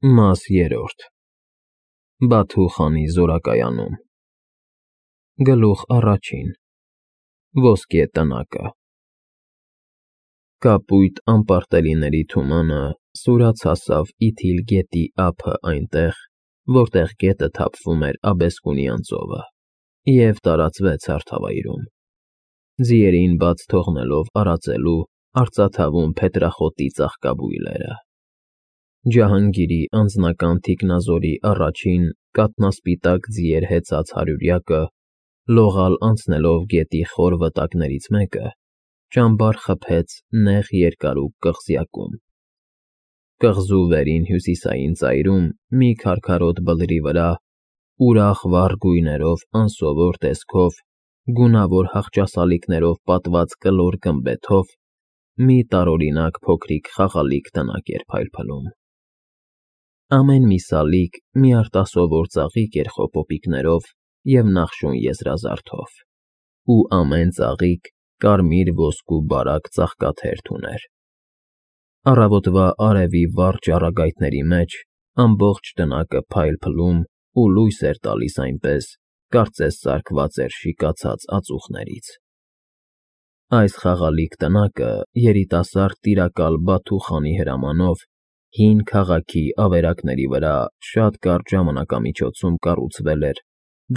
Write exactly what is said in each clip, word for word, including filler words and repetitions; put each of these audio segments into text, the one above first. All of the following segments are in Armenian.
Մաս երրորդ Բաթու խանի զորակայանում Գլուխ առաջին Ոսկե տնակը Կապույտ անպարտելիների թումանը սուրաց հասավ Իթիլ գետի ափը այնտեղ, որտեղ գետը թափվում էր Աբեսկունի անծովը, և տարածվեց հարթավայրում, ձիերին բաց թողնելով արածելու արծաթավուն փետրախոտի ծաղկաբույլերը։ Ջահանգիրի անձնական թիկնազորի առաջին կաթնասպիտակ ձիեր հեծած հարյուրյակը, լողալ անցնելով գետի խոր վտակներից մեկը, ճամբար խփեց նեղ երկարուկ կղզյակում։ Կղզու վերին հյուսիսային ծայրում մի քարքարոտ բլրի վրա, ուրախ վառ գույներով անսովոր տեսքով, գունավոր հախճասալիկներով պատված կլոր գմբեթով, մի տարօրինակ փոքրիկ խաղալիք տնակ էր փայլփլում։ Ամեն մի սալիկ մի արտասովոր ծաղիկ էր խոպոպիկներով և նախշուն եզրազարդով, ու ամեն ծաղիկ կարմիր ոսկու բարակ ծաղկաթերթ ուներ։ Առավոտվա արևի վառ ճառագայթների մեջ ամբողջ տնակը փայլփլում ու լույս էր տալիս այնպես, կարծես սարքված էր շիկացած ածուխներից։ Այս խաղալիք տնակը երիտասարդ տիրակալ Բաթու խանի հրամանով հին քաղաքի ավերակների վրա շատ կարճ ժամանակամիջոցում կառուցվել էր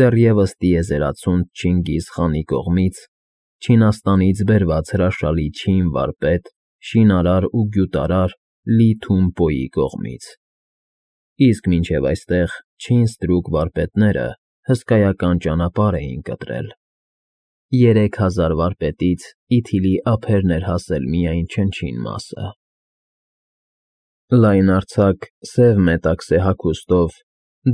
դեռևս տիեզերացունց Չինգիզ խանի կողմից, Չինաստանից բերված հրաշալի չին վարպետ, շինարար ու գյուտարար Լի Թունպոյի կողմից, իսկ մինչև այստեղ չին ստրուկ վարպետները հսկայական ճանապարհ էին կտրել։ Երեք հազար վարպետից Իթիլի ափերն էր հասել միայն չնչին մասը։ Լայնարձակ սև մետաքսե հագուստով,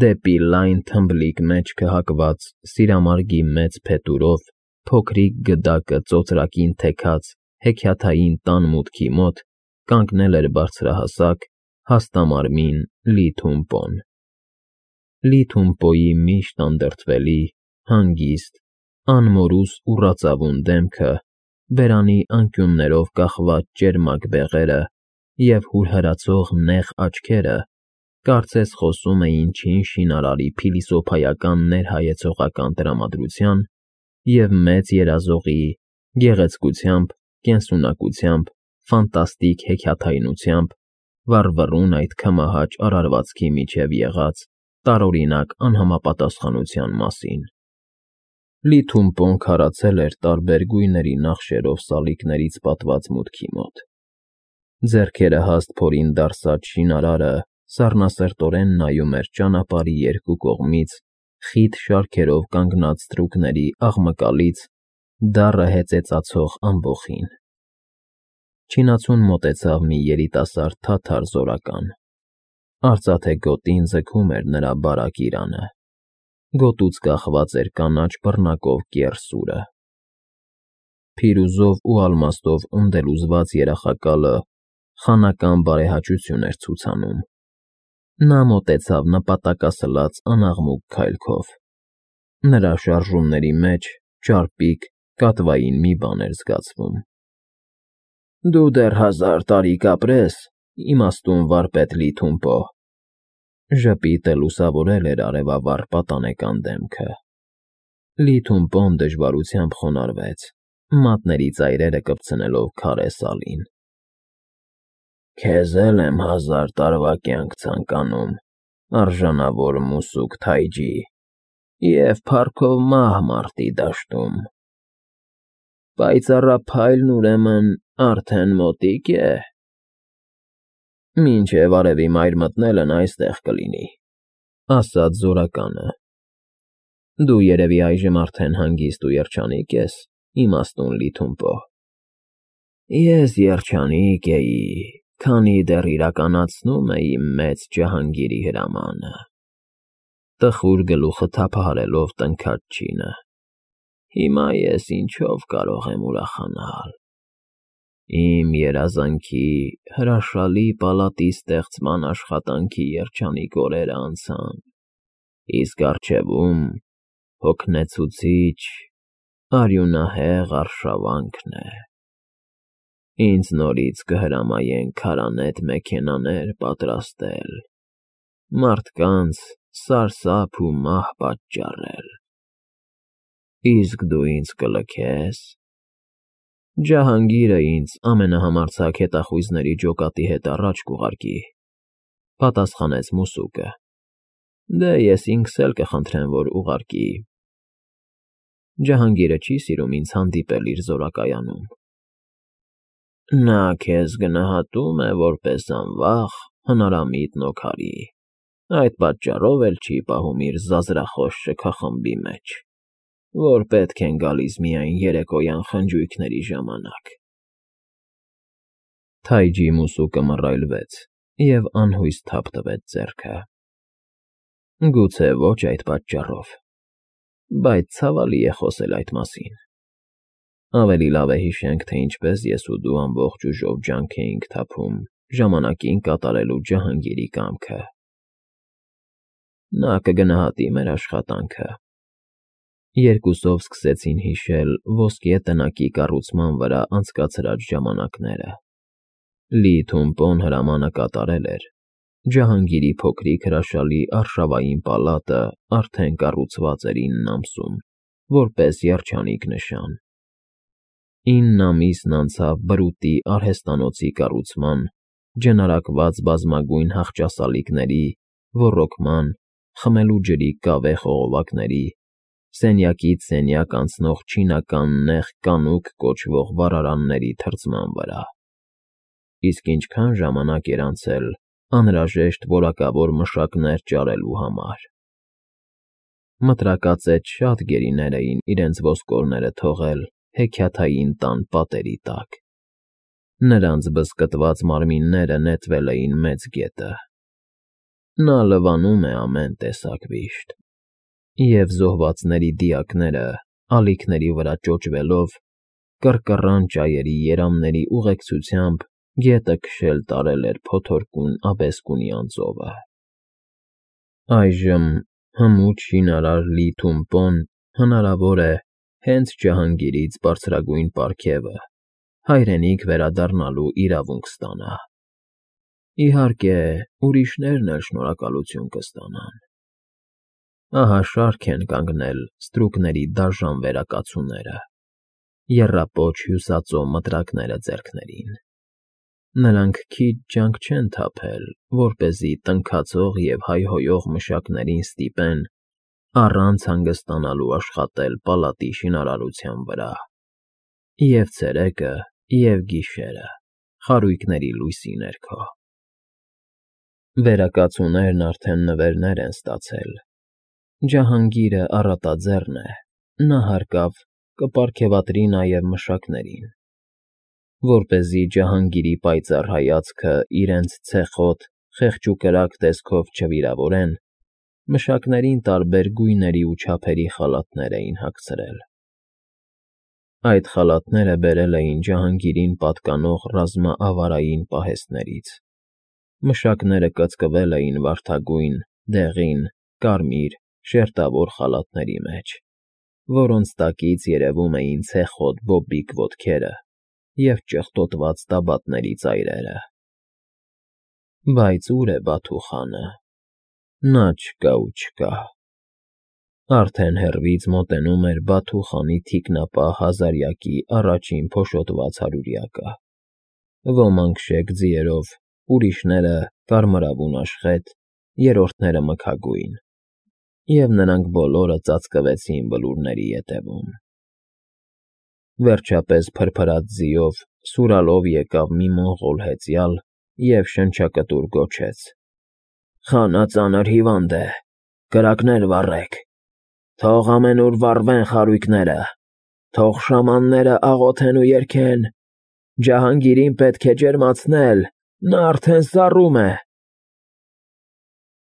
դեպի լայն թմբլիկ մեջքը հակված սիրամարգի մեծ փետուրով փոքրիկ գդակը ծոծրակին թեքած հեքիաթային տան մուտքի մոտ կանգնել էր բարձրահասակ, հաստամարմին Լի Թունպոն։ Լի Թունպոյի միշտ անդրդվելի, հանգիստ, անմորուս ու ռածավուն դեմքը, բերանի անկյուններով կախված ճերմակ բեղերը և հուրհրացող նեղ աչքերը կարծես խոսում էին չին շինարարի փիլիսոփայական ներհայեցողական տրամադրության և մեծ երազողի գեղեցկությամբ, կենսունակությամբ, ֆանտաստիկ հեքիաթայնությամբ վառվռուն այդ քմահաճ արարվածքի միջև եղած տարօրինակ անհամապատասխանության մասին։ Լի Թունպոն քարացել էր տարբեր գույների նախշերով սալիկներից պատված մուտքի մոտ։ Ձեռքերը հաստ փորին դարսած շինարարը սառնասրտորեն նայում էր ճանապարհի երկու կողմից խիտ շարքերով կանգնած ստրուկների աղմկալից դառը հեծեծացող ամբոխին։ Չինացուն մոտեցավ մի երիտասարդ թաթար զորական։ Արծաթե գոտին ձգում էր նրա բարակ իրանը։ Գոտուց կախված էր կանաչ բռնակով կեռ սուրը։ Փիրուզով ու ալմաստով ունդելուզված երախակալը խանական բարեհաճություն էր ցուցանում։ Նա մոտեցավ նպատակասլաց անաղմուկ քայլքով։ Նրա շարժումների մեջ ճարպիկ, կատվային մի բան էր զգացվում։ Դու դեռ հազար տարի կապրես, իմաստուն վարպետ Լի Թունպո, ժպիտը լուսավորել էր արևավառ պատանեկան դեմքը։ Լի Թունպոն դժվարությամբ խոնարհվեց, մատների ծայրերը կպցնելով քարե սալին։ Քեզ էլ եմ հազար տարվա կյանք ցանկանում, արժանավոր մուսուկ Թայջի, և փառքով մահ մարտի դաշտում։ Պայծառափայլն, ուրեմն, արդեն մոտիկ է։ Մինչև արևի մայր մտնելն այստեղ կլինի, ասաց զորականը։ Դու երևի այժմ արդեն հանգիստ ու երջանիկ ես, իմաստուն Լի Թունպո։ Ես երջանիկ էի, քանի դեռ իրականացնում էի մեծ Ջահանգիրի հրամանը, տխուր գլուխը թափահարելով տնքաց չինը։ Հիմա ես ինչով կարող եմ ուրախանալ։ Իմ երազանքի հրաշալի պալատի ստեղծման աշխատանքի երջանիկ օրերը անցան, իսկ առջևում հոգնեցուցիչ, արյունահեղ արշավանքն է։ Ինձ նորից կհրամայեն քարանետ մեքենաներ պատրաստել, մարդկանց սարսափ ու մահ պատճառել։ Իսկ դու ինձ կլքե՞ս։ Ջահանգիրը ինձ ամենահամարձակ հետախույզների ջոկատի հետ առաջ կուղարկի, պատասխանեց մուսուկը։ Դե ես ինքս էլ կխնդրեմ, որ ուղարկի։ Ջահանգիրը չի սիրում ինձ հանդիպել իր զորակայանում։ Նա քեզ գնահատում է որպես անվախ, հնարամիտ նոքարի, այդ պատճառով էլ չի պահում իր զազրախոս շքախմբի մեջ, որ պետք են գալիս միայն երեկոյան խնջույքների ժամանակ։ Թայջի մուսուկը մռայլվեց և անհույս թափ տվեց ձեռքը։ Գուցե ոչ այդ պատճառով, բայց ցավալի է խոսել այդ մասին։ Ավելի լավ է հիշենք, թե ինչպես ես ու դու ամբողջ ուժով ջանք էինք թափում ժամանակին կատարելու Ջահանգիրի կամքը։ Նա կգնահատի մեր աշխատանքը։ Երկուսով սկսեցին հիշել ոսկե տնակի կառուցման վրա անցկացրած ժամանակները։ Լի Թումպոն հրամանը կատարել էր, Ջահանգիրի փոքրիկ հրաշալի արշավային պալատը արդեն կառուցված էր ինն ամսում, որպես երջանիկ նշան։ Ինն ամիսն անցավ բրուտի արհեստանոցի կառուցման, ջնարակված բազմագույն հախճասալիկների, ոռոգման, խմելու ջրի կավե խողովակների, սենյակից սենյակ անցնող չինական նեղ կանուկ կոչվող վառարանների թրծման վրա։ Իսկ ինչքան ժամանակ էր անցել անհրաժեշտ որակավոր մշակներ ճարելու համար։ Մտրակածեց շատ գերիներ էին իրենց ոսկորները թողել հեքիաթային տան պատերի տակ։ Նրանց բզկտված մարմինները նետվել էին Մեծ գետը։ Նա լվանում է ամեն տեսակ վիշտ, և զոհվածների դիակները, ալիքների վրա ճոճվելով, կռկռան ճայերի երամների ուղեկցությամբ գետը քշել տարել էր փոթորկուն աբեսկունի անձովը։ Այժմ հմուտ շինարար Լի Թումպոն, հնարավոր է, հենց Ջահանգիրից բարձրագույն պարգևը, հայրենիք վերադառնալու իրավունք ստանա։ Իհարկե, ուրիշներն էլ շնորհակալություն կստանան։ Ահա շարք են կանգնել ստրուկների դաժան վերակացուները, եռապոչ հյուսածո մտրակները ձեռքներին։ Նրանք քիչ ջանք չեն թափել, որպեսզի տնքացող և հայհոյող մշակներին ստիպեն առանց հանգստանալու աշխատել պալատի շինարարության վրա, և՛ ցերեկը, և՛ գիշերը, խարույկների լույսի ներքո։ Վերակացուներն արդեն նվերներ են ստացել։ Ջահանգիրը առատաձեռն է, նա հարկավ կպարգևատրի նաև մշակներին։ Որպեսզի Ջահանգիրի պայծառ հայացքը իրենց ցեխոտ, խեղճուկրակ տեսքով չվիրավորեն, մշակներին տարբեր գույների ու չափերի խալաթներ էին հագցրել։ Այդ խալաթները բերել էին Ջահանգիրին պատկանող ռազմաավարային պահեստներից։ Մշակները կծկվել էին վարդագույն, դեղին, կարմիր, շերտավոր խալաթների մեջ, որոնց տակից երևում էին ցեխոտ բոբիկ ոտքերը և ճխտոտված տաբատների ծայրերը։ Բայց ո՞ւր է Բաթուխանը։ Նա չկա ու չկա։ Արդեն հեռվից մոտենում էր Բաթուխանի թիկնապահ հազարյակի առաջին փոշոտված հարյուրյակը։ Ոմանք շեկ ձիերով, ուրիշները կարմրավուն աշխետ, երրորդները մքագույն, և նրանք բոլորը ծածկվեցին բլուրների ետևում։ Վերջապես փրփրած ձիով, սուրալով եկավ մի մոնղոլ հեծյալ և շնչակտուր գոչեց. «Խանա ծանր հիվանդ է, կրակներ վառեք, թող ամենուր վառվեն խարույկները, թող շամանները աղոթեն ու երգեն, Ջահանգիրին պետք է ջերմացնել, նա արդեն սառում է»։